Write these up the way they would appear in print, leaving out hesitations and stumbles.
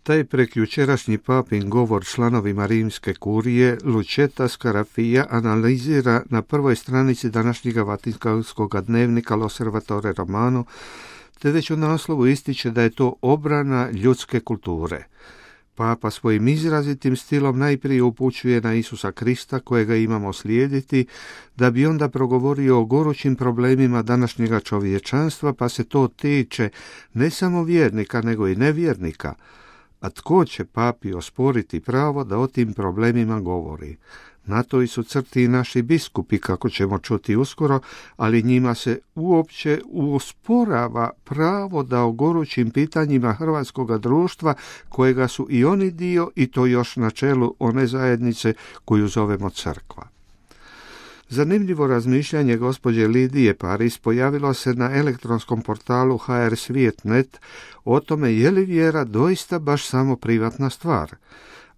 Taj prekjučerašnji papin govor članovima rimske kurije Lucetta Scarafia analizira na prvoj stranici današnjega Vatikanskog dnevnika L'Osservatore Romano, te već u naslovu ističe da je to obrana ljudske kulture. Papa svojim izrazitim stilom najprije upućuje na Isusa Krista kojega imamo slijediti, da bi onda progovorio o gorućim problemima današnjega čovječanstva, pa se to tiče ne samo vjernika nego i nevjernika. A tko će papi osporiti pravo da o tim problemima govori? Na toj su crti i naši biskupi, kako ćemo čuti uskoro, ali njima se uopće usporava pravo da o gorućim pitanjima hrvatskoga društva, kojega su i oni dio, i to još na čelu one zajednice koju zovemo crkva. Zanimljivo razmišljanje gospođe Lidije Paris pojavilo se na elektronskom portalu HR Svijet.net o tome je li vjera doista baš samo privatna stvar.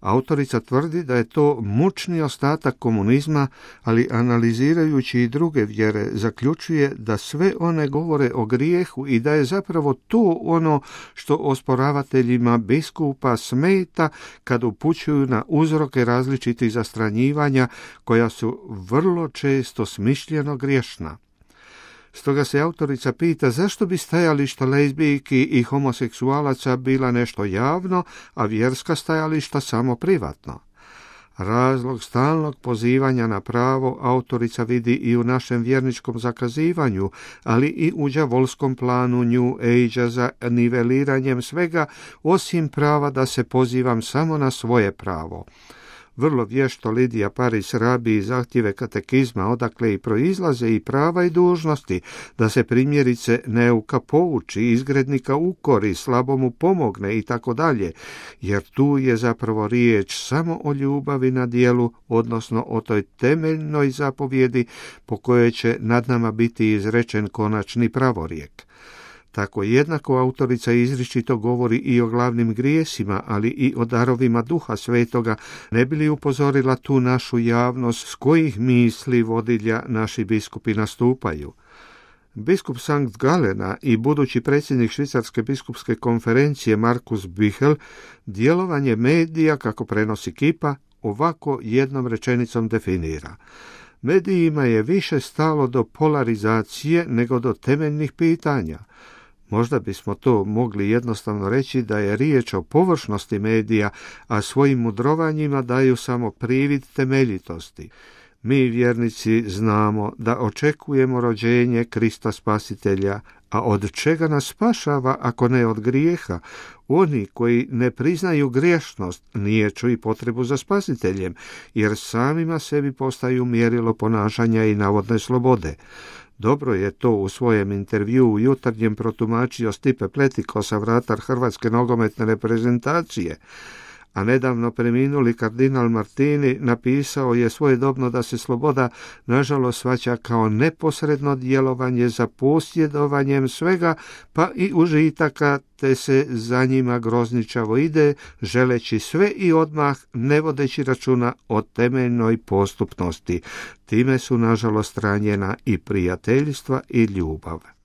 Autorica tvrdi da je to mučni ostatak komunizma, ali analizirajući i druge vjere zaključuje da sve one govore o grijehu i da je zapravo to ono što osporavateljima biskupa smeta kad upućuju na uzroke različitih zastranjivanja koja su vrlo često smišljeno griješna. Stoga se autorica pita zašto bi stajališta lezbijki i homoseksualaca bila nešto javno, a vjerska stajališta samo privatno. Razlog stalnog pozivanja na pravo autorica vidi i u našem vjerničkom zakazivanju, ali i u đavolskom planu New Age-a za niveliranjem svega, osim prava da se pozivam samo na svoje pravo. Vrlo vješto Lidija Paris rabi zahtjeve katekizma, odakle i proizlaze i prava i dužnosti, da se primjerice neuka pouči, izgrednika ukori, slabomu pomogne i tako dalje, jer tu je zapravo riječ samo o ljubavi na djelu, odnosno o toj temeljnoj zapovjedi po kojoj će nad nama biti izrečen konačni pravorijek. Tako jednako autorica izričito govori i o glavnim grijesima, ali i o darovima Duha Svetoga, ne bi li upozorila tu našu javnost s kojih misli vodilja naši biskupi nastupaju. Biskup Sankt Galena i budući predsjednik Švicarske biskupske konferencije Markus Bichel djelovanje medija, kako prenosi Kipa, ovako jednom rečenicom definira. Medijima je više stalo do polarizacije nego do temeljnih pitanja. Možda bismo to mogli jednostavno reći da je riječ o površnosti medija, a svojim mudrovanjima daju samo privid temeljitosti. Mi vjernici znamo da očekujemo rođenje Krista Spasitelja, a od čega nas spašava ako ne od grijeha? Oni koji ne priznaju griješnost niječu i potrebu za spasiteljem, jer samima sebi postaju mjerilo ponašanja i navodne slobode. Dobro je to u svojem intervjuu u Jutarnjem protumačio Stipe Pletikosa, vratar hrvatske nogometne reprezentacije, a nedavno preminuli kardinal Martini napisao je svojedobno da se sloboda nažalost shvaća kao neposredno djelovanje za posjedovanjem svega, pa i užitaka, te se za njima grozničavo ide, želeći sve i odmah, ne vodeći računa o temeljnoj postupnosti. Time su nažalost ranjena i prijateljstva i ljubav.